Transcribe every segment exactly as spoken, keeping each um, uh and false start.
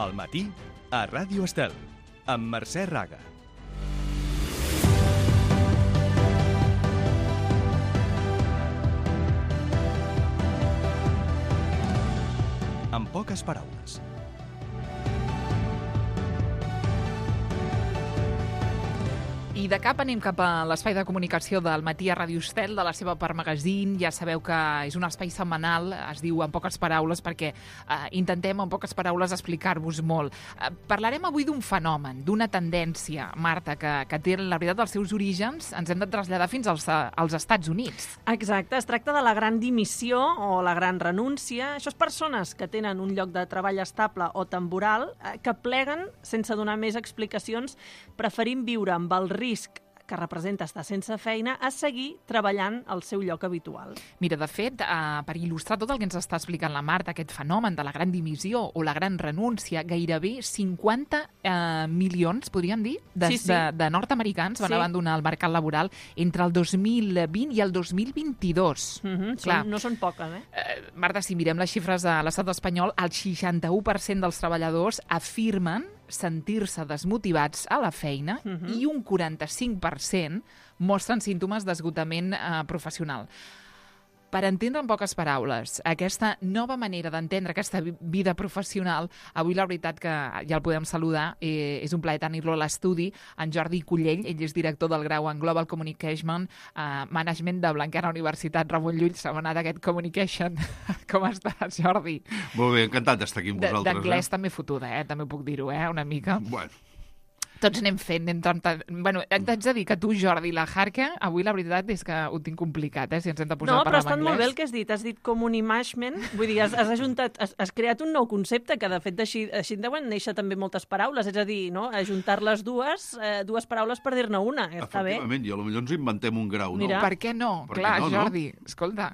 Al matí, a Ràdio Estel, amb Mercè Raga. En poques paraules. I de cap anem cap a l'espai de comunicació del matí a Ràdio Estel, de la seva part magazín. Ja sabeu que és un espai setmanal, es diu En poques paraules, perquè eh, intentem en poques paraules explicar-vos molt. Eh, parlarem avui d'un fenomen, d'una tendència, Marta, que, que té, la veritat, els seus orígens, ens hem de traslladar fins als, als Estats Units. Exacte, es tracta de la gran dimissió o la gran renúncia. Això és persones que tenen un lloc de treball estable o temporal, eh, que pleguen sense donar més explicacions, preferint viure amb el risc que representa estar sense feina a seguir treballant al seu lloc habitual. Mira, de fet, eh, per il·lustrar tot el que ens està explicant la Marta, aquest fenomen de la gran dimissió o la gran renúncia, gairebé cinquanta eh, milions, podríem dir, de, Sí, sí. de, de nord-americans van Sí. abandonar el mercat laboral entre el dos mil vint i el dos mil vint-i-dos. Mm-hmm, Clar. són, no són poques, eh? Eh, Marta, si mirem les xifres de l'estat espanyol, el seixanta-u per cent dels treballadors afirmen sentir-se desmotivats a la feina Mhm. i un quaranta-cinc per cent mostren símptomes d'esgotament eh, professional. Per entendre en poques paraules aquesta nova manera d'entendre aquesta vi- vida professional, avui la veritat que ja el podem saludar, eh, és un plaer tenir-lo a l'estudi, en Jordi Cullell, ell és director del grau en Global Communication eh, Management de Blanquerna Universitat Ramon Llull, setmanada aquest Communication. Com estàs, Jordi? Molt bé, encantat d'estar aquí amb De- vosaltres. D'anglès eh? també fotuda, eh? També puc dir-ho, eh? Una mica. Bueno, Tots anem fent. Anem tant... Bueno, t'haig de dir que tu, Jordi, la Harca, avui la veritat és que ho tinc complicat, eh? Si ens hem de posar No, a però parlar ha estat en molt bé anglès. el que has dit. Has dit comunimashment, vull dir, has, has ajuntat, has, has creat un nou concepte que, de fet, així, així deuen néixer també moltes paraules, és a dir, no? Ajuntar les dues, eh, dues paraules per dir-ne una. Està bé. efectivament, i potser ens inventem un grau, Mira. no? Per què no? Per què Clar, no, no? Jordi, escolta,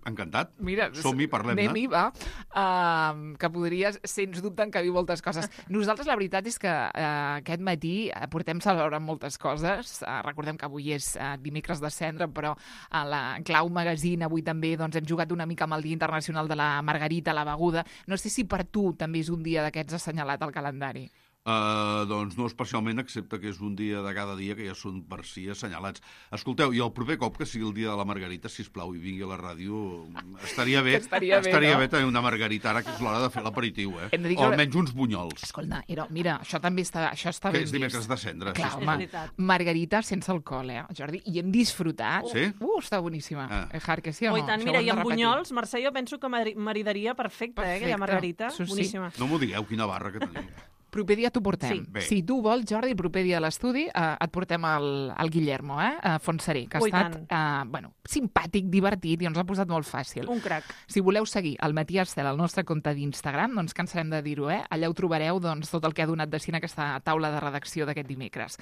Encantat. mira, Som-hi, parlem-ne. anem-hi, va, uh, que podries, sens dubte, encabir moltes coses. Nosaltres, la veritat és que uh, aquest matí uh, portem celebrant moltes coses. Uh, recordem que avui és uh, dimecres de cendra, però a la Clau Magazine avui també doncs, hem jugat una mica amb el Dia Internacional de la Margarita, la beguda. No sé si per tu també és un dia d'aquests assenyalat al calendari. Uh, doncs no especialment, excepte que és un dia de cada dia que ja són per si assenyalats. Escolteu, i el proper cop que sigui el dia de la Margarita, sisplau, i vingui a la ràdio, estaria bé, Que estaria bé, estaria no? bé tenir una margarita ara, que és l'hora de fer l'aperitiu, eh? Hem de dir O que- almenys uns bunyols, Escolta, era, mira, això també està, això està que ben és dimecres vist. de cendra. Clar, sí, És home, veritat. margarita sense alcohol, eh, Jordi? I hem disfrutat. Sí? Uh, està boníssima. Ah. Eh, Har, que sí o Oh, no? i tant, Això mira, ho hem i de amb repetir. bunyols, Mercè, jo penso que mari- maridaria perfecte, eh, aquella Perfecte. margarita. Sí, sí. Boníssima. No m'ho digueu, quina barra que tenim. Proper dia t'ho portem. Sí. Bé. Si tu vols, Jordi, el proper dia a l'estudi eh, et portem el, el Guillermo, eh, a Fontseré, que ha Oh, i estat tant. eh, bueno, simpàtic, divertit i ens ha posat molt fàcil. Un crac. Si voleu seguir el Matí Estel al nostre compte d'Instagram, no ens cansarem de dir-ho, eh? Allà ho trobareu doncs, tot el que ha donat de si en aquesta taula de redacció d'aquest dimecres.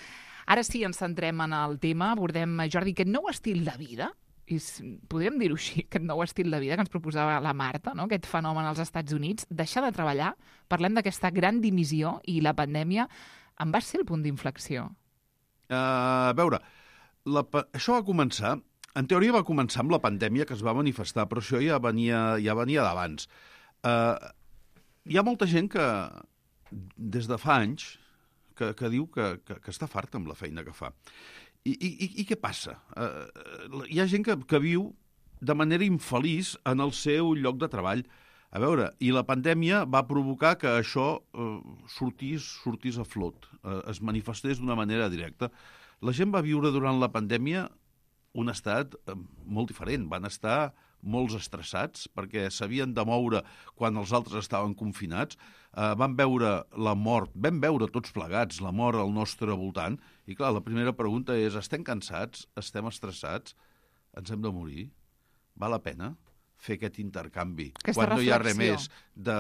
Ara sí, ens centrem en el tema, abordem, Jordi, aquest nou estil de vida, és, podríem dir-ho així, aquest nou estil de vida que ens proposava la Marta, no? Aquest fenomen als Estats Units, deixar de treballar, parlem d'aquesta gran dimissió i la pandèmia en va ser el punt d'inflexió. Uh, a veure, la, pa- això va començar, en teoria va començar amb la pandèmia que es va manifestar, però això ja venia, ja venia d'abans. Uh, hi ha molta gent que, des de fa anys, que, que diu que, que, que està farta amb la feina que fa. I, i, i, i què passa? Uh, hi ha gent que, que viu de manera infeliç en el seu lloc de treball. A veure, i la pandèmia va provocar que això eh, sortís, sortís a flot, eh, es manifestés d'una manera directa. La gent va viure durant la pandèmia un estat eh, molt diferent. Van estar molts estressats perquè s'havien de moure quan els altres estaven confinats. Eh, van veure la mort, vam veure tots plegats la mort al nostre voltant. I clar, la primera pregunta és, estem cansats? Estem estressats? Ens hem de morir? Val la pena fer aquest intercanvi Aquesta quan no hi ha res reflexió. més de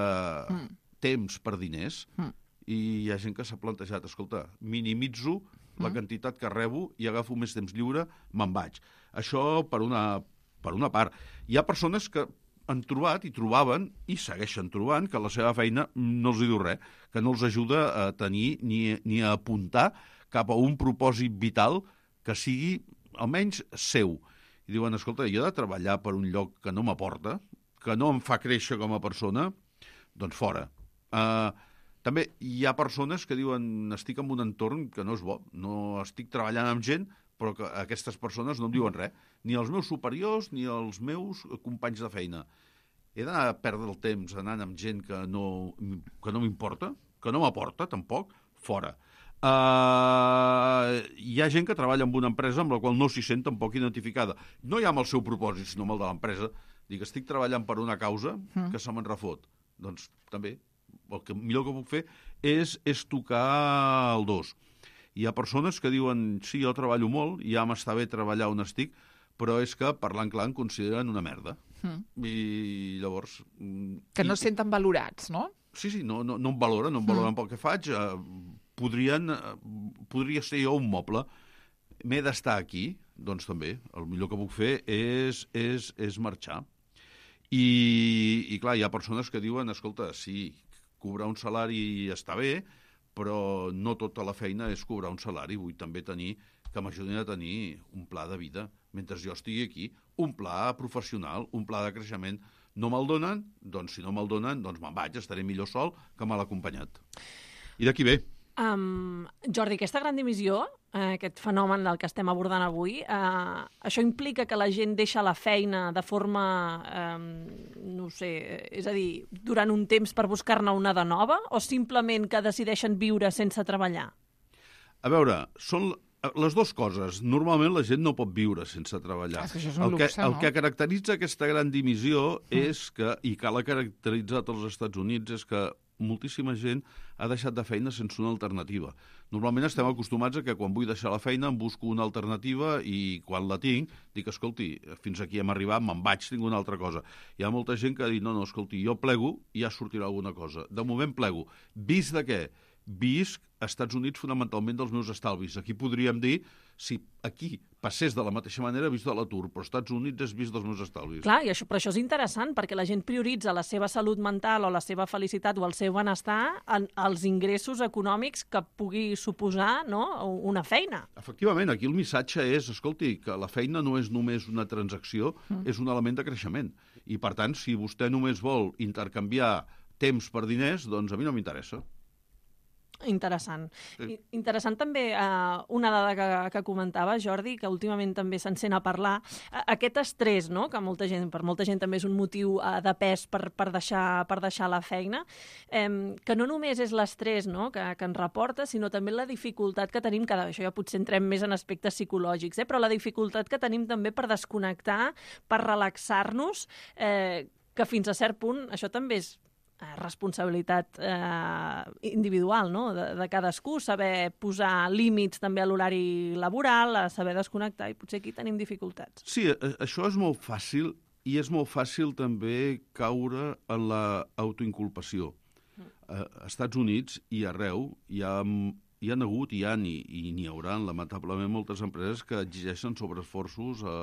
Mm. temps per diners? Mm. I hi ha gent que s'ha plantejat, escolta, minimitzo la Mm. quantitat que rebo i agafo més temps lliure, me'n vaig. Això per una, per una part. Hi ha persones que han trobat i trobaven i segueixen trobant que la seva feina no els hi diu res, que no els ajuda a tenir ni, ni a apuntar cap a un propòsit vital que sigui almenys seu. I diuen, escolta, jo he de treballar per un lloc que no m'aporta, que no em fa créixer com a persona, doncs fora. Uh, També hi ha persones que diuen estic en un entorn que no és bo, no estic treballant amb gent, però que aquestes persones no em diuen res, ni els meus superiors ni els meus companys de feina. He d'anar a perdre el temps anant amb gent que no, que no m'importa, que no m'aporta, tampoc, fora. Uh, hi ha gent que treballa en una empresa amb la qual no s'hi sent tampoc identificada. No ja amb el seu propòsit, sinó amb el de l'empresa. Dic, estic treballant per una causa que se me'n refot. Doncs també, el que millor que puc fer és, és tocar el dos. Hi ha persones que diuen, sí, jo treballo molt, ja m'està bé treballar on estic, però és que, parlant clar, em consideren una merda. Mm. I llavors... Que no es senten valorats, no? Sí, sí, no, no, no em valoren, no em valoren mm. pel que faig. Eh, podrien, eh, podria ser jo un moble. M'he d'estar aquí, doncs també. El millor que puc fer és, és, és marxar. I, I, clar, hi ha persones que diuen, escolta, sí, cobrar un salari està bé, però no tota la feina és cobrar un salari. Vull també tenir, que m'ajudin a tenir un pla de vida mentre jo estigui aquí, un pla professional, un pla de creixement. No me'l donen? Doncs si no me'l donen, doncs me'n vaig, estaré millor sol que mal acompanyat. I d'aquí ve. Um, Jordi, aquesta gran dimissió, eh, aquest fenomen del que estem abordant avui, eh, això implica que la gent deixa la feina de forma, eh, no sé, és a dir, durant un temps per buscar-ne una de nova, o simplement que decideixen viure sense treballar? A veure, són les dues coses. Normalment la gent no pot viure sense treballar. Ah, és que això és un el, luxe, que, no? el que caracteritza aquesta gran dimissió mm. és que, i que l'ha caracteritzat als Estats Units, és que moltíssima gent ha deixat de feina sense una alternativa. Normalment estem acostumats a que quan vull deixar la feina em busco una alternativa i quan la tinc dic, escolti, fins aquí hem arribat, me'n vaig, tinc una altra cosa. Hi ha molta gent que ha dit, no, no, escolti, jo plego i ja sortirà alguna cosa. De moment plego. Vist de què? Visc als Estats Units fonamentalment dels meus estalvis. Aquí podríem dir, si aquí passés de la mateixa manera, vist de l'atur, però als Estats Units és vist dels meus estalvis. Clar, i això, però això és interessant, perquè la gent prioritza la seva salut mental o la seva felicitat o el seu benestar en els ingressos econòmics que pugui suposar, no?, una feina. Efectivament, aquí el missatge és, escolti, que la feina no és només una transacció, mm. és un element de creixement. I, per tant, si vostè només vol intercanviar temps per diners, doncs a mi no m'interessa. Interessant. Sí. Interessant també uh, una dada que, que comentava, Jordi, que últimament també se'n sent a parlar, uh, aquest estrès, no?, que molta gent, per molta gent també és un motiu uh, de pes per, per, deixar, per deixar la feina, um, que no només és l'estrès, no?, que, que ens reporta, sinó també la dificultat que tenim, que això ja potser entrem més en aspectes psicològics, eh, però la dificultat que tenim també per desconnectar, per relaxar-nos, eh, que fins a cert punt això també és responsabilitat eh, individual, no?, de, de cadascú, saber posar límits també a l'horari laboral, a saber desconnectar, i potser aquí tenim dificultats. Sí, això és molt fàcil, i és molt fàcil també caure en l'autoinculpació. Mm. A Estats Units i arreu hi ha, hi ha hagut, hi ha i, i n'hi haurà, lamentablement, moltes empreses que exigeixen sobreesforços a,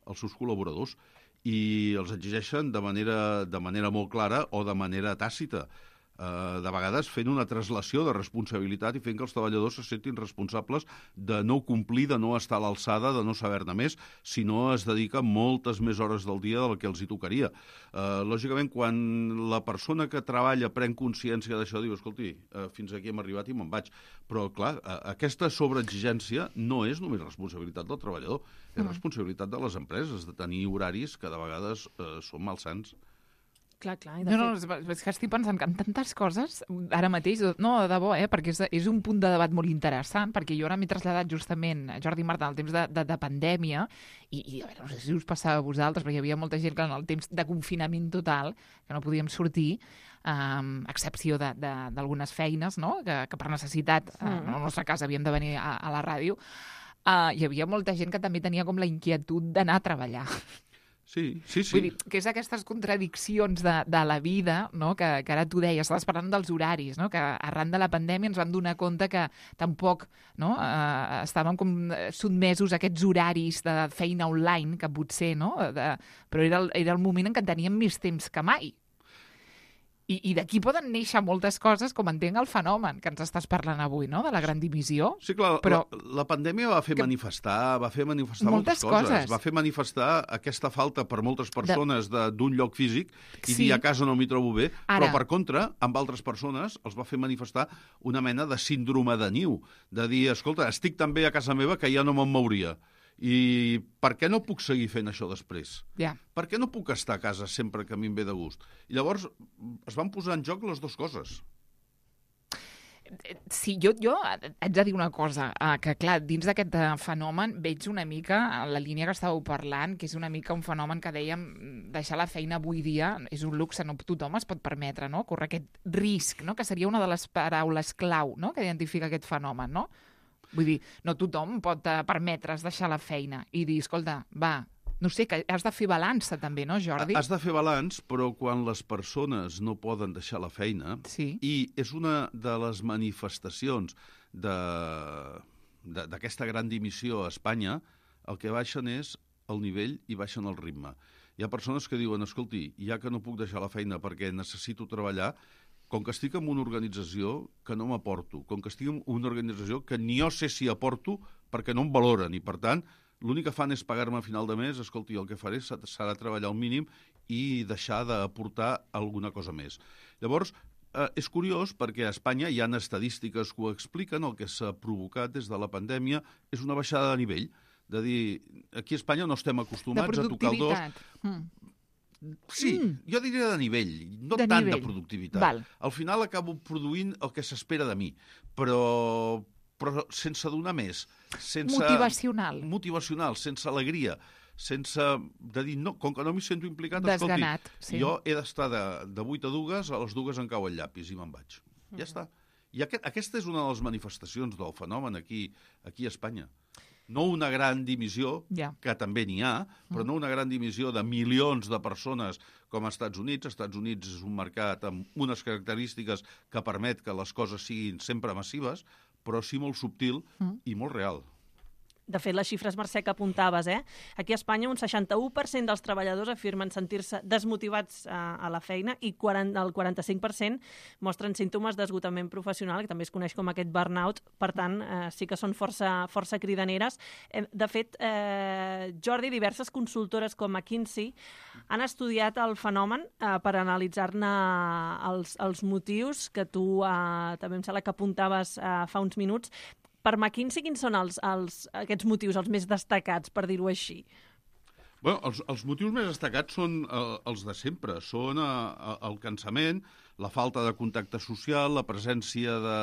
als seus col·laboradors, i els exigeixen de manera, de manera molt clara o de manera tàcita. Eh, de vegades fent una traslació de responsabilitat i fent que els treballadors se sentin responsables de no complir, de no estar a l'alçada, de no saber-ne més, si no es dedica moltes més hores del dia del que els hi tocaria. Eh, lògicament, quan la persona que treballa pren consciència d'això, diu, escolti, eh, fins aquí hem arribat i me'n vaig. Però, clar, eh, aquesta sobreexigència no és només responsabilitat del treballador, és responsabilitat de les empreses, de tenir horaris que de vegades eh, són malsans. Clar, clar. I de no, no, fet... és que estic pensant que en tantes coses, ara mateix, no, de debò, eh, perquè és, és un punt de debat molt interessant, perquè jo ara m'he traslladat justament, Jordi i Marta, en el temps de, de, de pandèmia, i, i a veure, no sé si us passava a vosaltres, perquè hi havia molta gent que en el temps de confinament total, que no podíem sortir, um, a excepció d'algunes feines, no?, que, que per necessitat, mm. uh, en el nostre cas, havíem de venir a, a la ràdio, uh, hi havia molta gent que també tenia com la inquietud d'anar a treballar. Sí, sí, sí. Vull dir, que és aquestes contradiccions de, de la vida, no?, que, que ara tu deies, estaves parlant dels horaris, no?, que arran de la pandèmia ens vam donar compte que tampoc, no?, eh, estàvem com sotmesos a aquests horaris de feina online, que potser, no?, de, però era el, era el moment en què teníem més temps que mai. I, i d'aquí poden néixer moltes coses, com entenc el fenomen que ens estás parlant avui, no?, de la gran dimissió. Sí, clar, però... la, la pandèmia va fer que... manifestar, va fer manifestar moltes, moltes coses. coses. Va fer manifestar aquesta falta per moltes persones de... d'un lloc físic i Sí. dir a casa no m'hi trobo bé, Ara... però per contra, amb altres persones els va fer manifestar una mena de síndrome de niu, de dir, escolta, estic tan bé a casa meva que ja no me'n mouria. I per què no puc seguir fent això després? Ja. Per què no puc estar a casa sempre que a mi em ve de gust? I llavors es van posar en joc les dues coses. Sí, jo, jo haig de dir una cosa, eh, que clar, dins d'aquest eh, fenomen veig una mica la línia que estàveu parlant, que és una mica un fenomen que dèiem, deixar la feina avui dia és un luxe, no tothom es pot permetre, no?, córrer aquest risc, no?, que seria una de les paraules clau, no?, que identifica aquest fenomen, no? Vull dir, no tothom pot eh, permetre's deixar la feina i dir, escolta, va, no sé, que has de fer balança també, no, Jordi? Has de fer balanç, però quan les persones no poden deixar la feina, sí. i és una de les manifestacions d'aquesta gran dimissió a Espanya, el que baixen és el nivell i baixen el ritme. Hi ha persones que diuen, escolti, ja que no puc deixar la feina perquè necessito treballar, com que estic en una organització que no m'aporto, com que estic en una organització que ni jo sé si aporto perquè no em valoren, i per tant, l'únic que fan és pagar-me a final de mes, escolti, el que faré serà treballar al mínim i deixar d'aportar alguna cosa més. Llavors, eh, és curiós perquè a Espanya hi ha estadístiques que ho expliquen, el que s'ha provocat des de la pandèmia és una baixada de nivell, de dir, aquí a Espanya no estem acostumats a tocar el dos. De productivitat. Mm. Sí, mm. jo diria de nivell, no de tant nivell. de productivitat. Val. Al final acabo produint el que s'espera de mi, però, però sense donar més. Sense... Motivacional. Motivacional, sense alegria, sense... de dir, no, com que no m'hi sento implicat, Desganat, escolti, sí. jo he d'estar de, de vuit a dues, a les dues em cau el llapis i me'n vaig. Mm. Ja està. I aquest, aquesta és una de les manifestacions del fenomen aquí, aquí a Espanya. No una gran dimissió, yeah. que també n'hi ha, però no una gran dimissió de milions de persones com als Estats Units. Els Estats Units és un mercat amb unes característiques que permet que les coses siguin sempre massives, però sí molt subtil mm. i molt real. De fet, les xifres, Mercè, que apuntaves, eh? Aquí a Espanya un seixanta-u per cent dels treballadors afirmen sentir-se desmotivats a, a la feina i quaranta, el quaranta-cinc per cent mostren símptomes d'esgotament professional, que també es coneix com aquest burnout. Per tant, eh, sí que són força, força cridaneres. Eh, de fet, eh, Jordi, diverses consultores com McKinsey han estudiat el fenomen eh, per analitzar-ne els, els motius que tu eh, també em sembla que apuntaves eh, fa uns minuts. Per McKinsey, quins són els, els, aquests motius, els més destacats, per dir-ho així? Bueno, els, els motius més destacats són eh, els de sempre. Són eh, el cansament, la falta de contacte social, la presència de,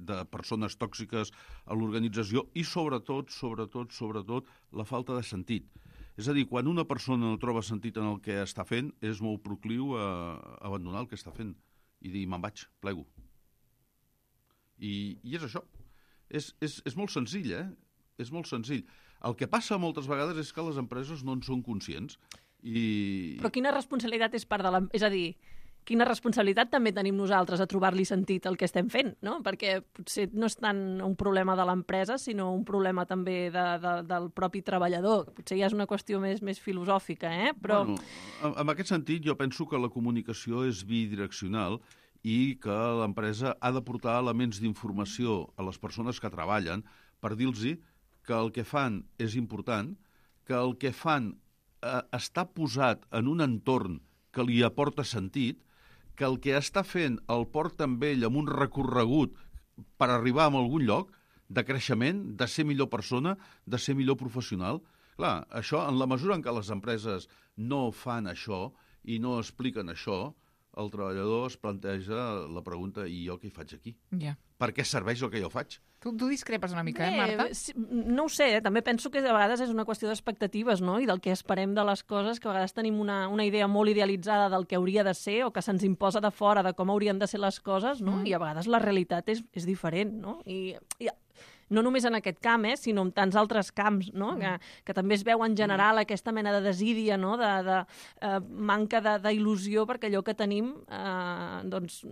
de persones tòxiques a l'organització i, sobretot, sobretot, sobretot, la falta de sentit. És a dir, quan una persona no troba sentit en el que està fent, és molt procliu a abandonar el que està fent i dir, me'n vaig, plego. I, i és això. És, és, és molt senzill, eh? És molt senzill. El que passa moltes vegades és que les empreses no en són conscients. I... Però quina responsabilitat és part de la... És a dir, quina responsabilitat també tenim nosaltres a trobar-li sentit al que estem fent, no? Perquè potser no és tant un problema de l'empresa, sinó un problema també de, de, del propi treballador. Potser ja és una qüestió més, més filosòfica, eh? Però... Bueno, en, en aquest sentit, jo penso que la comunicació és bidireccional i que l'empresa ha de portar elements d'informació a les persones que treballen per dir-los que el que fan és important, que el que fan eh, està posat en un entorn que li aporta sentit, que el que està fent el porta amb ell amb un recorregut per arribar a algun lloc de creixement, de ser millor persona, de ser millor professional. Clar, això, en la mesura en què les empreses no fan això i no expliquen això, el treballador es planteja la pregunta, i jo què hi faig aquí? Yeah. Per què serveix el que jo faig? Tu, tu discrepes una mica, Bé, eh, Marta? Sí, no ho sé, eh? També penso que a vegades és una qüestió d'expectatives, no?, i del que esperem de les coses, que a vegades tenim una, una idea molt idealitzada del que hauria de ser o que se'ns imposa de fora de com haurien de ser les coses, no?, mm. i a vegades la realitat és, és diferent, no? I, i no només en aquest camp, eh, sinó en tants altres camps, no? Mm. que, que també es veu en general aquesta mena de desídia, no? de, de eh, manca d'il·lusió, perquè allò que tenim eh, doncs,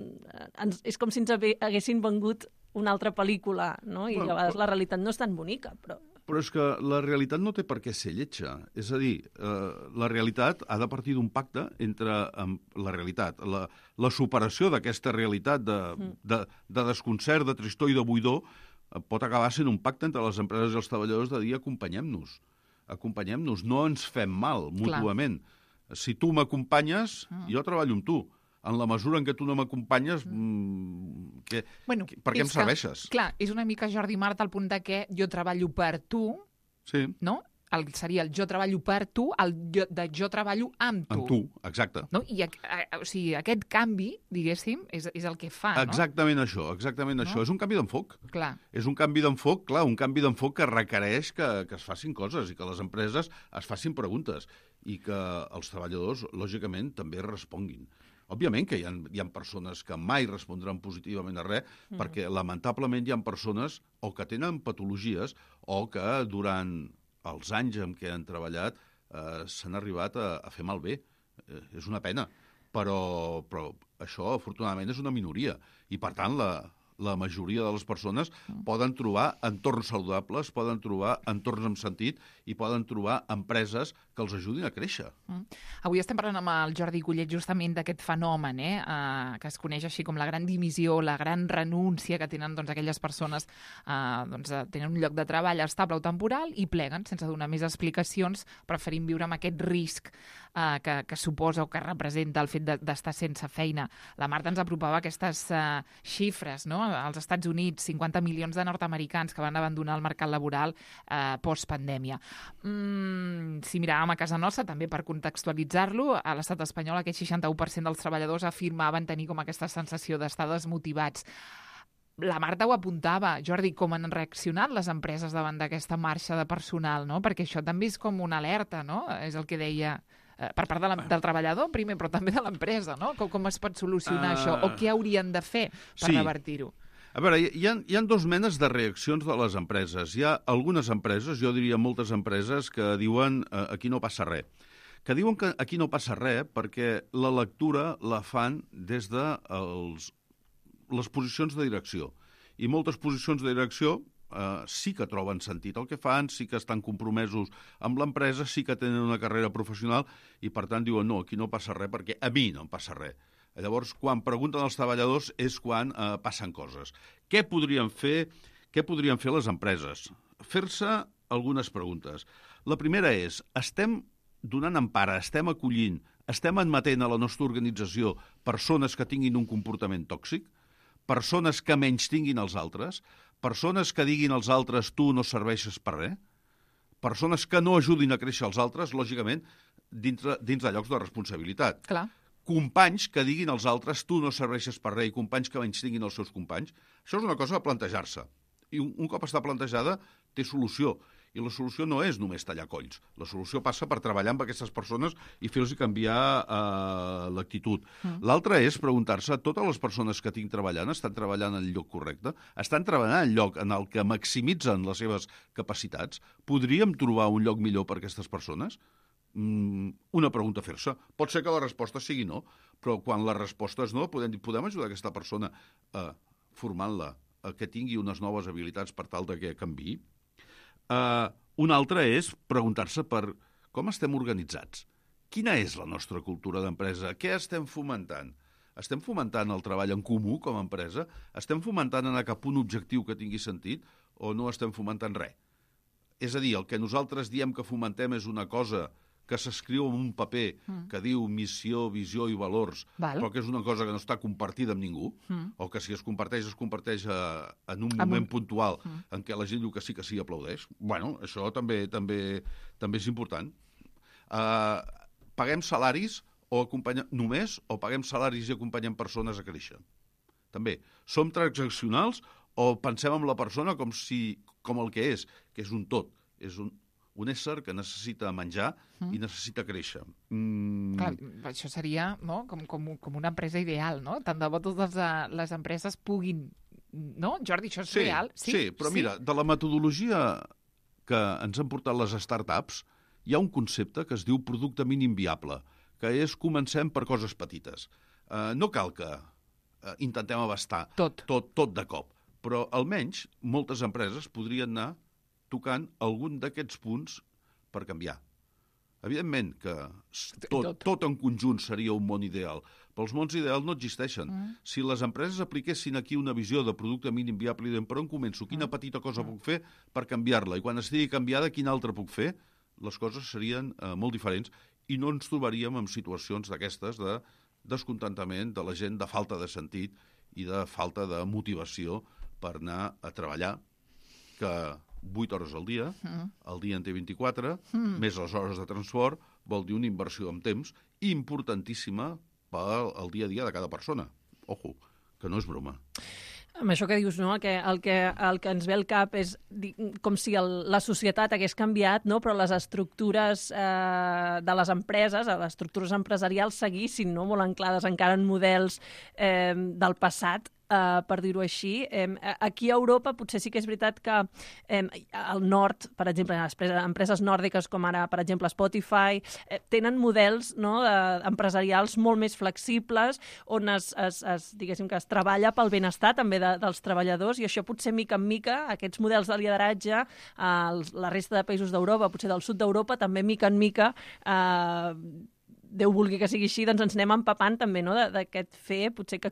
ens, és com si ens haguessin vengut una altra pel·lícula, no? I Bueno, a vegades però... la realitat no és tan bonica, però... Però és que la realitat no té per què ser lletja. És a dir, eh, la realitat ha de partir d'un pacte entre um, la realitat, la, la superació d'aquesta realitat de, mm. de, de desconcert, de tristor i de buidor, eh, pot acabar sent un pacte entre les empreses i els treballadors de dir acompanyem-nos, acompanyem-nos, no ens fem mal mútuament. Clar. Si tu m'acompanyes, mm. jo treballo amb tu. En la mesura en què tu no m'acompanyes, mm, que, bueno, que, per què em serveixes? Que, clar, és una mica Jordi Marta al punt de que jo treballo per tu, sí. no? El, seria el jo treballo per tu, el jo, de jo treballo amb tu. Amb tu, exacte. No? I a, a, o sigui, aquest canvi, diguéssim, és, és el que fa, no? Exactament això, exactament no? això. És un canvi d'enfoc. Clar. És un canvi d'enfoc, clar, un canvi d'enfoc que requereix que, que es facin coses i que les empreses es facin preguntes i que els treballadors, lògicament, també responguin. Òbviament que hi ha, hi ha persones que mai respondran positivament a res, mm. perquè lamentablement hi ha persones o que tenen patologies o que durant els anys en què han treballat eh, s'han arribat a, a fer malbé. Eh, és una pena, però, però això afortunadament és una minoria i per tant la, la majoria de les persones mm. poden trobar entorns saludables, poden trobar entorns amb sentit i poden trobar empreses que els ajudin a créixer. Mm. Avui estem parlant amb el Jordi Collet justament d'aquest fenomen, eh, eh, que es coneix així com la gran dimissió, la gran renúncia que tenen doncs, aquelles persones eh, doncs, tenen un lloc de treball estable o temporal i pleguen sense donar més explicacions, preferint viure amb aquest risc eh, que, que suposa o que representa el fet d'estar sense feina. La Marta ens apropava aquestes eh, xifres, no? Als Estats Units, cinquanta milions de nord-americans que van abandonar el mercat laboral eh, post-pandèmia. Mm, si miràvem a casa nostra, també per contextualitzar-lo, a l'estat espanyol aquest seixanta-u per cent dels treballadors afirmaven tenir com aquesta sensació d'estar desmotivats. La Marta ho apuntava, Jordi, com han reaccionat les empreses davant d'aquesta marxa de personal, no? Perquè això també és com una alerta, no? És el que deia eh, per part de la, del treballador, primer, però també de l'empresa, no? Com, com es pot solucionar uh... això? O què haurien de fer per sí. revertir-ho? A veure, hi ha, hi ha dos menes de reaccions de les empreses. Hi ha algunes empreses, jo diria moltes empreses, que diuen eh, aquí no passa res. Que diuen que aquí no passa res perquè la lectura la fan des de els, les posicions de direcció. I moltes posicions de direcció eh, sí que troben sentit el que fan, sí que estan compromesos amb l'empresa, sí que tenen una carrera professional i, per tant, diuen no, aquí no passa res perquè a mi no em passa res. Llavors, quan pregunten als treballadors és quan eh, passen coses. Què podrien fer, què podrien fer les empreses? Fer-se algunes preguntes. La primera és, estem donant empara, estem acollint, estem admetent a la nostra organització persones que tinguin un comportament tòxic, persones que menys tinguin els altres, persones que diguin als altres tu no serveixes per res, persones que no ajudin a créixer els altres, lògicament, dins, dins de llocs de responsabilitat. Clar. Companys que diguin als altres tu no serveixes per res i companys que menys tinguin els seus companys. Això és una cosa a plantejar-se. I un, un cop està plantejada, té solució. I la solució no és només tallar colls. La solució passa per treballar amb aquestes persones i fer-los canviar eh, l'actitud. Mm. L'altra és preguntar-se, totes les persones que tinc treballant estan treballant en el lloc correcte? Estan treballant en el lloc en el que maximitzen les seves capacitats? Podríem trobar un lloc millor per a aquestes persones? Mm, una pregunta a fer-se. Pot ser que la resposta sigui no, però quan la resposta és no, podem, podem ajudar aquesta persona eh, formant-la, eh, que tingui unes noves habilitats per tal de que canviï. Uh, una altra és preguntar-se per com estem organitzats. Quina és la nostra cultura d'empresa? Què estem fomentant? Estem fomentant el treball en comú com a empresa? Estem fomentant anar cap a un objectiu que tingui sentit o no estem fomentant res? És a dir, el que nosaltres diem que fomentem és una cosa que s'escriu en un paper mm. que diu missió, visió i valors, Val. Però que és una cosa que no està compartida amb ningú, mm. o que si es comparteix, es comparteix a, en un moment un... puntual mm. en què la gent diu que sí, que sí, aplaudeix. Bueno, això també també, també és important. Uh, paguem salaris o acompanyem només o paguem salaris i acompanyem persones a créixer. També. Som transaccionals o pensem en la persona com, si, com el que és, que és un tot, és un un ésser que necessita menjar mm. i necessita créixer. Mm. Clar, això seria no? com, com, com una empresa ideal, no? Tant de bo totes les empreses puguin... No, Jordi, això és sí, real? Sí, sí, però sí? Mira, de la metodologia que ens han portat les startups, hi ha un concepte que es diu producte mínim viable, que és comencem per coses petites. Uh, no cal que uh, intentem abastar tot. tot tot de cop, però almenys moltes empreses podrien anar tocant algun d'aquests punts per canviar. Evidentment que tot, tot en conjunt seria un món ideal, però els mons ideals no existeixen. Mm. Si les empreses apliquessin aquí una visió de producte mínim viable, i per on començo, quina petita cosa puc fer per canviar-la, i quan estigui canviada, quina altra puc fer, les coses serien eh, molt diferents i no ens trobaríem en situacions d'aquestes de descontentament de la gent, de falta de sentit i de falta de motivació per anar a treballar, que vuit hores al dia, mm. el dia en té vint-i-quatre, mm. més les hores de transport, vol dir una inversió en temps importantíssima pel el dia a dia de cada persona. Ojo, que no és broma. Amb això que dius, no? el, que, el, que, el que ens ve al cap és com si el, la societat hagués canviat, no? Però les estructures eh, de les empreses, les estructures empresarials seguissin, no? Molt anclades encara en models eh, del passat, Uh, per dir-ho així. Eh, aquí a Europa potser sí que és veritat que eh, al nord, per exemple, les empreses nòrdiques com ara, per exemple, Spotify, eh, tenen models, no, de, empresarials molt més flexibles, on es, es, es, diguéssim que es treballa pel benestar també de, dels treballadors, i això potser mica en mica, aquests models de lideratge, eh, la resta de països d'Europa, potser del sud d'Europa, també mica en mica, eh, Déu vulgui que sigui així, doncs ens anem empapant també, no, d'aquest fer, potser que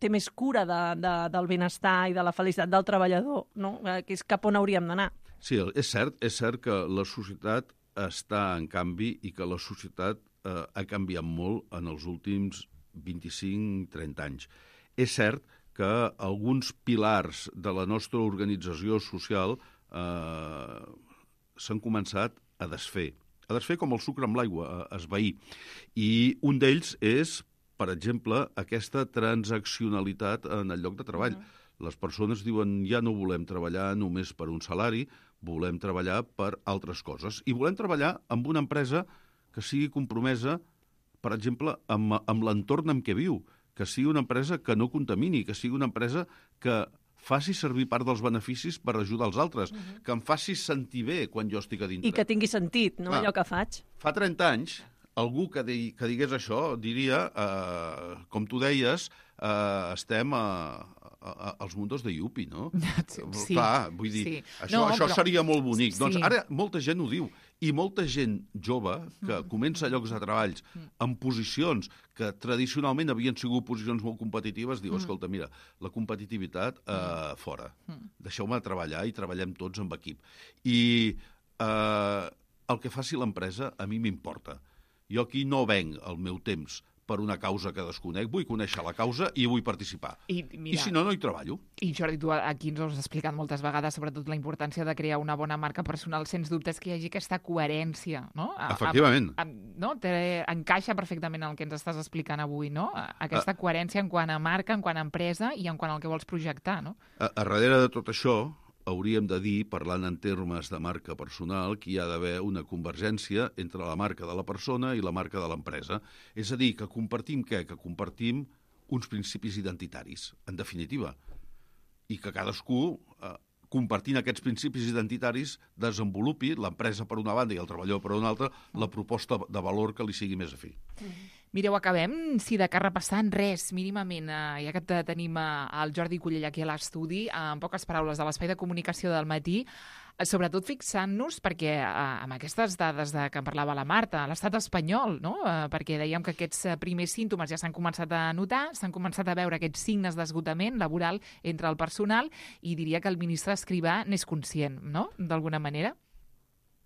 té més cura de, de, del benestar i de la felicitat del treballador, no? Que és cap on hauríem d'anar. Sí, és cert, és cert que la societat està en canvi i que la societat eh, ha canviat molt en els últims vint-i-cinc trenta anys. És cert que alguns pilars de la nostra organització social eh, s'han començat a desfer. A desfer com el sucre amb l'aigua, a esvair. I un d'ells és, per exemple, aquesta transaccionalitat en el lloc de treball. Uh-huh. Les persones diuen ja no volem treballar només per un salari, volem treballar per altres coses. I volem treballar amb una empresa que sigui compromesa, per exemple, amb, amb l'entorn en què viu, que sigui una empresa que no contamini, que sigui una empresa que faci servir part dels beneficis per ajudar els altres, uh-huh. que em faci sentir bé quan jo estic a dintre. I que tingui sentit, no?, ah, allò que faig. Fa trenta anys, algú que, di, que digués això diria, eh, com tu deies, eh, estem a, a, a, als mundos de Yupi, no? Sí. Clar, vull dir, sí. això, no, això però... seria molt bonic. Sí. Doncs ara molta gent ho diu, i molta gent jove que comença a llocs de treballs en posicions que tradicionalment havien sigut posicions molt competitives, diu, escolta, mira, la competitivitat eh, fora. Deixeu-me treballar i treballem tots amb equip. I eh, el que faci l'empresa a mi m'importa. Jo aquí no venc el meu temps per una causa que desconec, vull conèixer la causa i vull participar. I, mira, I si no, no hi treballo. I Jordi, tu aquí ens ho has explicat moltes vegades, sobretot la importància de crear una bona marca personal, sens dubtes que hi hagi aquesta coherència, no? Efectivament. A, a, no? Te, encaixa perfectament el que ens estàs explicant avui, no? Aquesta a, coherència en quant a marca, en quant a empresa i en quant al que vols projectar, no? A, a darrere de tot això, hauríem de dir, parlant en termes de marca personal, que hi ha d'haver una convergència entre la marca de la persona i la marca de l'empresa. És a dir, que compartim què? Que compartim uns principis identitaris, en definitiva. I que cadascú, eh, compartint aquests principis identitaris, desenvolupi, l'empresa per una banda i el treballador per una altra, la proposta de valor que li sigui més afí. Mireu, acabem, si de cas repassant res, mínimament, eh, ja que tenim el Jordi Cullell aquí a l'estudi, en poques paraules de l'espai de comunicació del matí, sobretot fixant-nos, perquè eh, amb aquestes dades de que en parlava la Marta, l'estat espanyol, no? Eh, perquè dèiem que aquests primers símptomes ja s'han començat a notar, s'han començat a veure aquests signes d'esgotament laboral entre el personal, i diria que el ministre Escrivà n'és conscient, no?, d'alguna manera.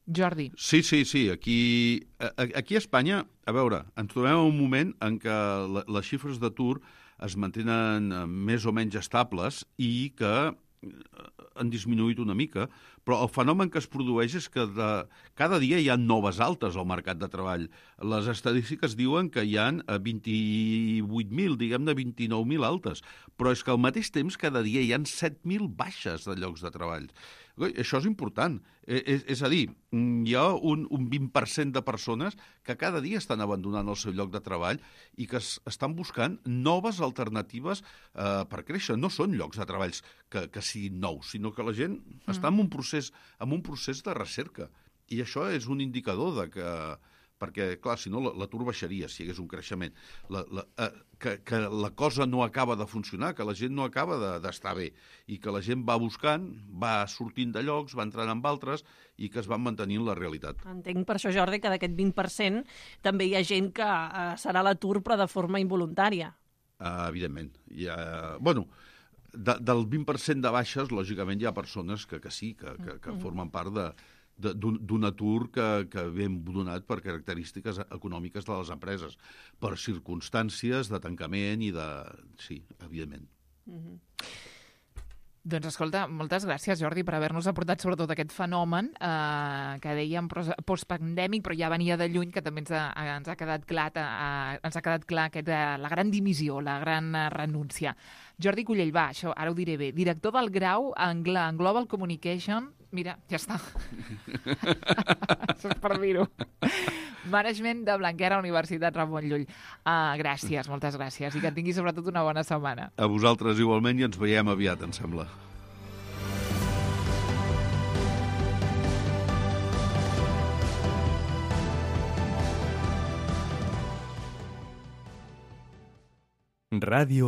Jordi. Sí, sí, sí. Aquí, aquí a Espanya, a veure, ens trobem en un moment en què les xifres d'atur es mantenen més o menys estables i que han disminuït una mica, però el fenomen que es produeix és que de, cada dia hi ha noves altes al mercat de treball. Les estadístiques diuen que hi ha vint-i-vuit mil, diguem-ne vint-i-nou mil altes, però és que al mateix temps cada dia hi ha set mil baixes de llocs de treball. Això és important. És, és a dir, hi ha un, un vint per cent de persones que cada dia estan abandonant el seu lloc de treball i que es, estan buscant noves alternatives eh, per créixer. No són llocs de treballs que, que siguin nous, sinó que la gent mm. està en un procés, en un procés de recerca. I això és un indicador de que perquè, clar, si no, l'atur baixaria si hi hagués un creixement. La, la, eh, que, que la cosa no acaba de funcionar, que la gent no acaba d'estar de, bé i que la gent va buscant, va sortint de llocs, va entrant en altres i que es van mantenint la realitat. Entenc per això, Jordi, que d'aquest vint per cent també hi ha gent que eh, serà a l'atur però de forma involuntària. Uh, evidentment. Hi ha, bueno, de, del vint per cent de baixes, lògicament, hi ha persones que, que sí, que, que, que formen part de, de, d'un atur que, que ve donat per característiques econòmiques de les empreses, per circumstàncies de tancament i de... Sí, evidentment. Mm-hmm. Doncs escolta, moltes gràcies, Jordi, per haver-nos aportat sobretot aquest fenomen eh, que dèiem postpandèmic, però ja venia de lluny, que també ens ha, ens ha quedat clar, eh, ens ha quedat clar aquest, eh, la gran dimissió, la gran eh, renúncia. Jordi Cullell, va, això ara ho diré bé, director del grau en, en Global Communication, mira, ja està. Això és per dir-ho. Management de Blanquera, Universitat Ramon Llull. Uh, gràcies, moltes gràcies, i que tinguis sobretot una bona setmana. A vosaltres igualment i ens veiem aviat, em sembla. Ràdio